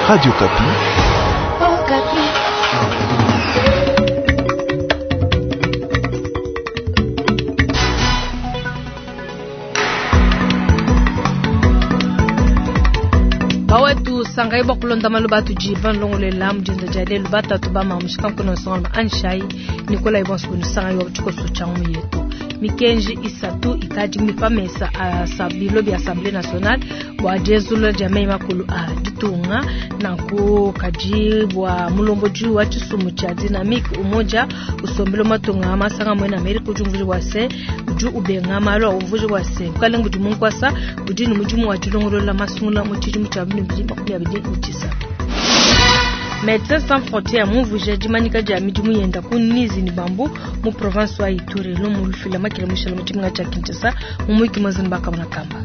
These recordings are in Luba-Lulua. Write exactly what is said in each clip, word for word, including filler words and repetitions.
Radio Okapi. Bawetu sangai bakulonda malu atudi banlongolela mudinda dia lelu batatu bamamushika nkuna nsonga anshai Nikolai bonso sangai wa tshikoso tshia mu yetu mikenji isatu ikadi mipamesa a bilo bia Assemblée nationale bua dienzulula dia meyi makulu a ditunga nanku kadi bua mulombodi wa tshisumbu tshia dynamique umoja usombelo matunga masanga mwena Amerika udi umvuija bua se udi ubenga malu a umvuija bua se bukalenga budi munkwasa budi ne mudimu wa dilongolola masungula mu tshidimu tshia bibili makumi abidi ne tshisatu. Médecins Sans Frontières mumvuija dimanyika dia midimu yenda ku Nizi ni Bambu mu province wa Ituri lumu lufila makila mushala mu tshimenga tshia Kinshasa mu mwiki mwezi bakamona kamba.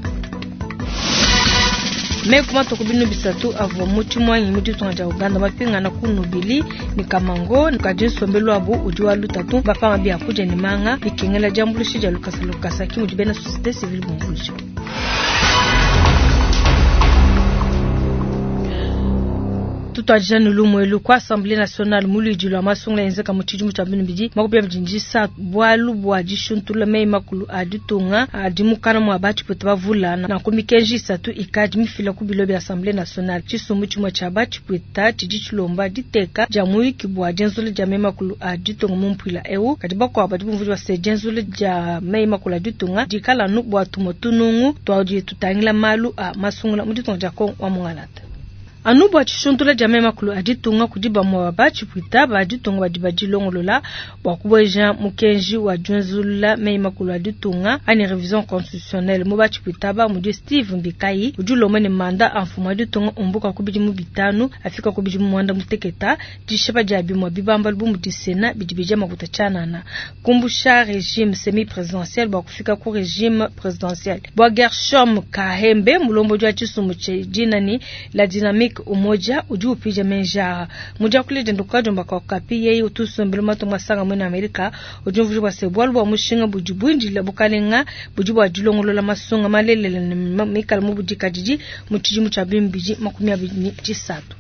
Meku matuku binu bisatu avua mu tshimwanyi mu ditunga dia Uganda mapingana ku Nubili ni Kamango kadi nsombelu wabu udi wa lutatu bapanga biakudia ne manga bikengela diambuluisha dia lukasa lukasa ki mudi bena société civile bumvuija. Tutwajana lumwelu kwa Assemblée nationale muludi lwa masungula yenzeka mu tshidimu tshia binu bidi makumi abidi ndisa bwalu bwa dishuntula meyi makulu a ditunga adi mukana mwa batshipwita bavula nanku mikenji isatu ikadi mifila ku bilo bia Assemblée nationale tshisumbu tshimue tshia batshipwita tshidi tshilomba diteka dia muyuki bua dienzula dia meyi makulu a ditunga mu mpuila eu kadi bakuabu badi bumvuija bua se dienzula dia meyi makulu a ditunga dikala anu bua tumue tunungu twadi tutangila malu a masungula mu ditunga dia Kongo wa Mungalata. Anu bua tshishuntula dia meyi makulu a ditunga kudi bamue batshipwita ba ditunga badi badilongolola bua kubueja mukenji wa dienzulula meyi makulu a ditunga ani revision constitutionnelle mu batshipwita ba mudi Steve Mbikai udi ulomba ne manda a mfumu wa ditunga umbuka ku bidimu bitanu afika ku bidimu muanda muteketa dishipa dia bimue bibambalu bu mudi Sénat bidi bija makuta tshianana kumbusha régime semi présidentiel bua kufika ku régime présidentiel bua Gershom Kahembe mulombodi wa tshisumbu tshia dinani la dynamique umoja udi upija menja muja kulede ndukajomba kwa kapi yeye utusombelo matunga masanga mwena Amerika udi umvuija bua se bwalu bwa mushinga budi bwindila bukalenga budi bwa dilongolola masunga malelela ne mikala mu budikadidi mu tshidimu tshia bimbidi makumi abidi ne tshisatu.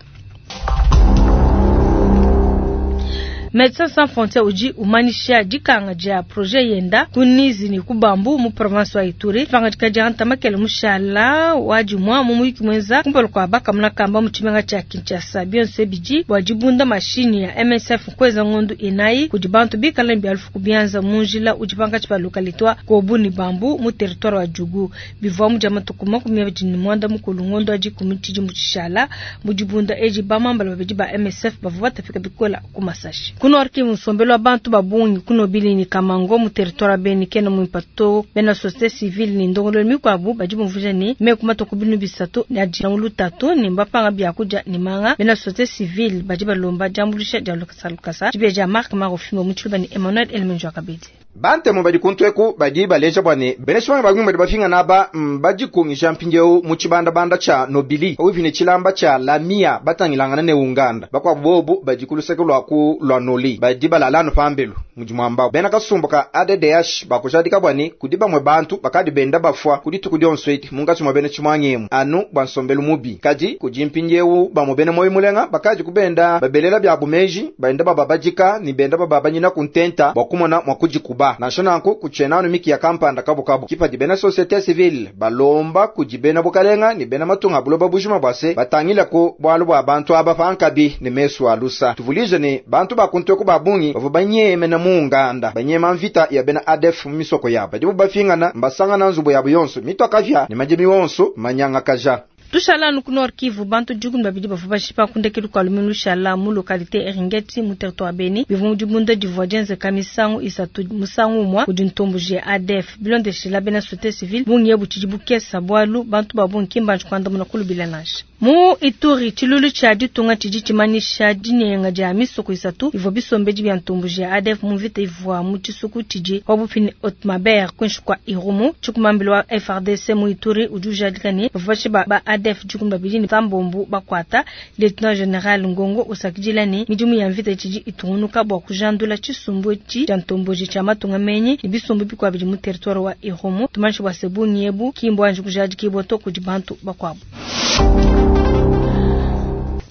Médecins Sans Frontières udi umanisha dikanga dia projet yenda ku Nizi ni ku Bambu mu province wa Ituri pangadika dia ntamakele mushala wa dimua mu muyuki mwenza kumpala kua bakamuna kamba mu tshimenga tshia Kinshasa bionso bidi bua dibunda mashini ya M S F kweza ngondu inayi kudi bantu bikala ne bialufu kubianza mu njila udi pankatshi pa localité wa Kobu ni Bambu mu territoire wa Djugu bivua mu dia matuku makumi abidi ne muanda mukulu ngondo wa dikumi tshidimu tshishala mu dibunda edi bamambala babidi ba M S F bavua batafika bikola ku masashi. Kuno arki musombelo wa bantu babungi kuno bili ni Kamango mu territoire Beni kena mu impato bena société civile ni ndongolo mikwabu badi bumvuija ni meku matuku binu bisatu ne adi na lutatu ni mbapanga biakudia ni manga bena société civile badi balomba diambuluisha dia lukasa lukasa dibeja Marc Marofimbo mu tshiluba ni Emmanuel Elmenjo Kabedi. Bante mu badi kuntweku badi baleja bwane beneshwanga bagumba badi bafinga naba mbadi kungisha mpinjeu mu chibanda banda cha Nobili ovine chilamba cha Lamia batangilangana ne Uganda bakwa bobu badi kuluseke lwa ku lwa Noli badi balalano pambelu mujimwamba bena kasumbuka A D D H bakujadika bwane kudiba mwe bantu bakadi benda bafwa kuditu kudyonsweti mungachi mwa bene chimwangemu anu bwansombelu mubi kadi kujimpinjeu ba mubene moyo mulenga bakaji kubenda babelela bya bumeji baenda bababajika ni benda bababanyina kuntenta bakumona mwakujikuba nansha kuchenano miki ya kampanda kabu kabu kipa dibena société civile balomba kujibena bukalenga ni bena matunga buloba bujuma bwase batangila ko bwalu bwa bantu aba pankabi ne mesu alusa tuvulije ne bantu bakuntwe ku babungi bavo banyeme na munganda banyema mvita ya bena A D F misoko ya badibu bafingana mbasanga na nzubu ya buyonso mitwakavya ne majimi wonso manyanga kaja. Tushala nuku Nord Kivu bantu dikumi babidi bavua bashipa kundekelu kua luminu lushala mu localité Eringeti mu territoire Beni bivua mu dibunda divua dienzeka misangu isatu musangu umua kudi ntomboji ya A D F bilondeshela bena société civile bungi ebu tshidi bukesa bwalu bantu ba bungi ki mbanji kuandamuna kulubila nansha. Mu Ituri tshilulu tshia ditunga tshidi tshimanyisha dinyenga dia misoko isatu ivua bisombedi bia ntomboji ya A D F mu mvita ivua mu tshisuku tshidi pabupi ne Otmaber kuinshi kua Irumu tshikumambilo wa F R D C mu Ituri udi ujadika ne bavua bashipa ba A D F dikumi babidi ne tambombu bakwata lieutenant general Ngongo usakidila ne midimu ya mvita tshidi itungunuka bua kujandula tshisumbu etshi tshia ntomboji tshia matunga menyi ne bisumbu bikuabu bidi mu territoire wa Irumu tumanyishi bua se bungi ebu ki mbuanji kujadikibua to kudi bantu bakuabu.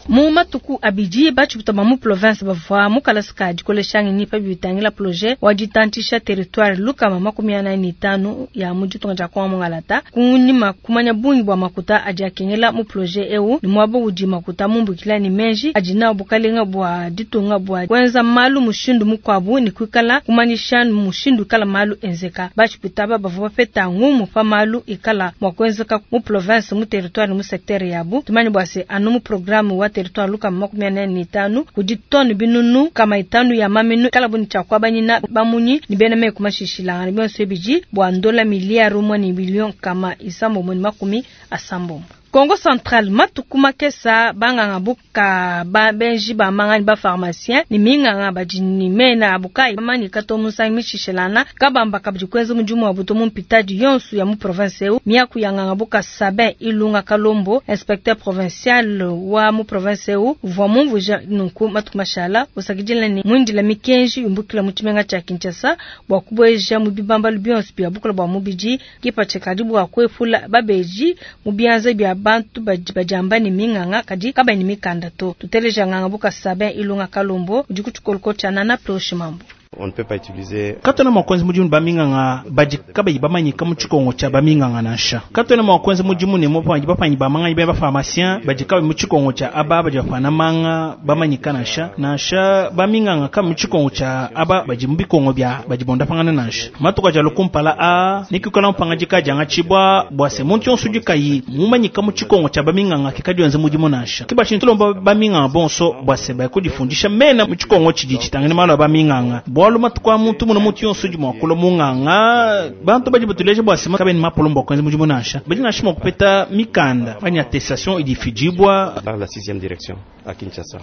Mu matuku abidi batshiputa ba mu province bavua mu kalasa ka dikolesha ngenyi pa bitangila projet wa ditantshisha territoire lukama makumi anayi ne itanu ya mu ditunga dia Kongo Mungalata. Kunyima kumanya bungi bua makuta adi akengela mu projet eu ne muaba udi makuta mumbukila ne menji adi nawu bukalenga bua ditunga bua kuenza malu mushindu mukuabu ne kuikala kumanyisha mushindu ikala malu enzeka. Batshiputa aba bavua bapeta ngumu pa malu ikala mua kuenzeka mu province mu territoire mu secteur yabu. Tumanye bua se anu mu programme wa territoire lukama makumi anayi ne itanu kudi tone binunu kama itanu ya maminu kala buni tshia kuabanyina bamunyi ni bena meku mashishilangana bionso ebidi bua ndola miliyari umwe ne billion kama isambombo ne makumi asambombo. Kongo Central matuku makesa banganga buka ba benji ba mangani ba pharmacien ni minganga badi ni mena abukai mani kato musangi mishishelana kabamba kabidi kwenza mudimu wa buto mu mpitadi yonsu ya mu province eu miaku ya nganga buka Sabin Ilunga Kalombo inspecteur provincial wa mu province eu uvua mumvuja nunku matuku mashala usakidila ni mwindila mikenji yumbukila mu tshimenga tshia Kinshasa bua kubueja mu bibambalu bionso bia bukula bua mubidi kipatshe kadi bua kuepula babeji mu bianza bia bantu badi badiamba ne minganga kadi kabayi ne mikanda to. Tuteleja nganga buka Sabin Ilunga Kalombo udi ku tshikoloko tshia Nana Ploshi Mambo. On ne peut pas utiliser Katwena mua kuenza mudimu ne baminganga badi kabayi bamanyika mu tshikongo tshia baminganga nansha. Katwena mua kuenza mudimu ne mupangi bapanyi ba manga ba pharmacien badi kabayi mu tshikongo tshia aba badi bapana manga bamanyika nansha. Nansha baminganga ka mu tshikongo tshia aba badi mu bikongo bia badi bondapangana nansha. Matuku aja lukumpala a nikikala mupangajika janga tshibwa bua se muntu yonso udi kayi mumanyika mu tshikongo tshia baminganga kikadi wenza mudimu nansha. Kibashi ntulomba baminganga bonso bua se bakudifundisha mena mu tshikongo tshidi tshitangene malu a baminganga. Bwalu matuku a muntu muno muntu yonso udi mua kulua munganga bantu badi batuleja bua sema kabeni mapolombo kwenza mudimu nansha badi nansha mua kupeta mikanda fanya attestation idifidibwa par la sixième direction à Kinshasa.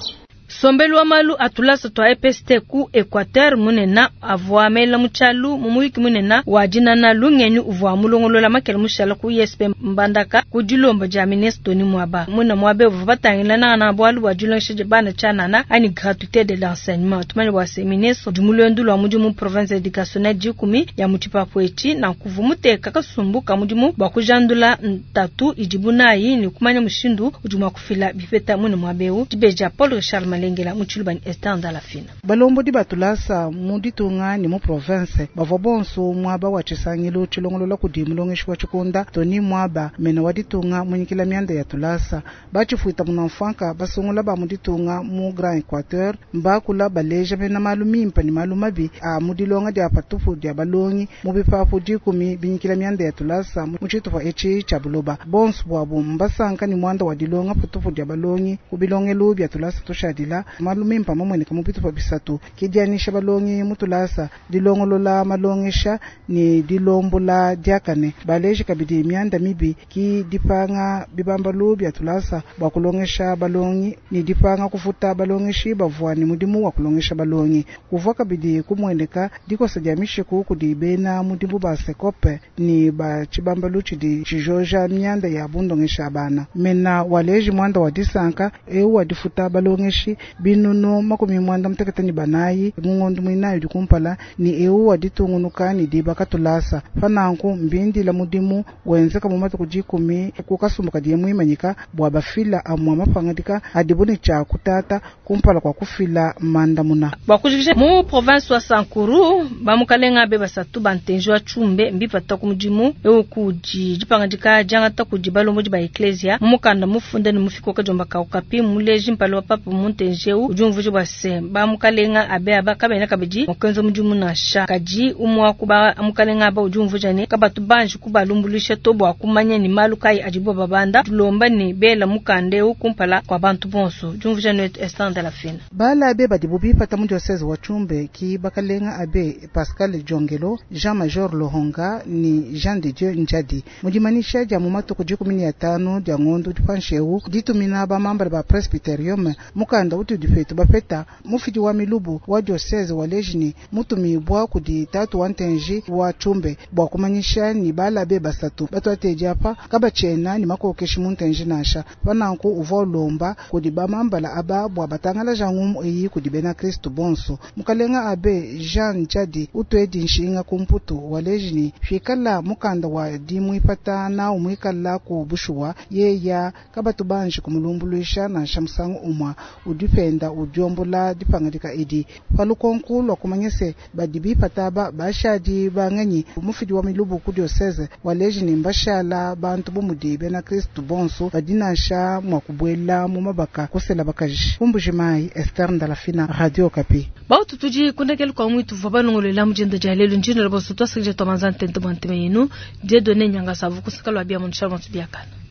Sombelu wa malu atulasa twa E P S T ku Equateur munena avua mela mutshalu mu muyuki munena wa dinana lungenyi uvua mulongolola makele mushala ku I S P Mbandaka ku dilomba dia ministre Tony Mwaba. Muna Mwaba uvua batangila nana bualu bua dilongesha dia bana tshianana ani gratuité de l'enseignement. Tumanye bua se ministre udi mulwendu lwa mudimu mu province éducationnelle dikumi ya mutshipapu etshi na kuvu muteka kasumbu ka mudimu bua kujandula ntatu idibu nayi ne kumanya mushindu udi mua kufila bipeta muna Mwaba eu. Dibeja Paul Richard Malengela mutshilu Esther Ndalafina. Balombo di batulasa mu ditunga ni mu province bavua bonso mwaba wa tshisangilu tshilongolola kudi mulongeshi wa tshikonda Tony Mwaba mena wa ditunga munyikila mianda ya tulasa batshifuita munamfanka basungula ba mu ditunga mu Grand Equateur mbakula baleja bena malu mimpa ni malu mabi a mu dilonga dia patupu dia balongi mu bipapu dikumi binyikila mianda ya tulasa mu tshitupa etshi tshia buloba bonso bwabo mbasanka ni mwanda wa dilonga patupu dia balongi ku bilongelu bia tulasa tushadila malu mimpa mamweneka mu bitupa bisatu kidianisha balongi mutulasa dilongolola malongesha ni dilombola diakane baleji kabidi mianda mibi ki dipanga bibambalu bia tulasa bua kulongesha balongi ni dipanga kufuta balongeshi bavua ni mudimu wa kulongesha balongi kuvua kabidi kumweneka dikosa dia mishiku kudi bena mudimu ba sekope ni ba tshibambalu tshidi tshijoja mianda ya bundongesha bana mena waleji mwanda wa disanka eu wa difuta balongeshi binunu makumi mwanda mutekete ni banayi mungondo mwinayi udi kumpala ni eu wa ditungunuka ni dibaka tulasa pananku mbindila mudimu wenzeka mu matuku dikumi kukasumbuka diye muimanyika bua bafila amua mapangadika adibu ne tshia kutata kumpala kwa kufila mandamuna. Bua kujikija mu province wa Sankuru bamukalenga be basatu bantenji wa Tshumbe mbipata ku mudimu eu kudi dipangadika diangata kudi balombodi ba ecclesia mu mukanda mufunda ne mufiko kajomba kaukapi muleji mpalo wa papa muntenji eu udi umvuja bua se bamukalenga abe aba kabena kabidi mukenzo mudimu nansha kadi umwa kuba mukalenga aba udi umvuja ne kabatu banji kubalumbulisha to bua kumanya ni malu kayi adibo babanda tulomba ne bela mukanda eu kumpala kwa bantu bonso udi ne Esther Ndalafina. Bala abe badibu bipata mu diocese wa Tshumbe ki bakalenga abe Pascal Jongelo Jean Major Lohonga ni Jean de Dieu Njadi mudimanisha dia mu matuku dikumi ne atanu dia ngondo dipansheu ditumina bamambala ba presbyterium mukanda mukanda utudi petu bapeta, mufidi wa milubu wa diocese waleji ni mutumibwa kudi tatu wa ntenji wa Tshumbe bua kumanyisha ni balabe basatu batuatedi apa kabatshiena ni makokeshi mu ntenji nansha pananku uvua ulomba kudi bamambala aba bua batangalaja ngumu eyi kudi bena kristu bonso. Mukalenga abe Jean Jadi utwedi nshinga ku mputu waleji ni fikala mukanda wa dimwipata na umwikala ku bushuwa yeya kabatu banji kumulumbuluisha nansha musangu umwa udipenda udiombola dipangadika idi palukonku lwa kumanyese badi bipata ba bashadi banganyi mufidi wa milubu ku diocese waleji ni mbashala bantu bumudi bena kristu bonso badi nansha mwa kubwela mu mabaka kusela bakaji. Kumbuji-Mayi, Esther Ndalafina, Radio Okapi. Bautu tudi kundekele kwa mwitu vwa balongolela mujenda dia lelu njino loboso twasakija twamanza ntente bwa nteme yenu Dieudonné Nyangasa vukusaka lwa bia munsha biakana.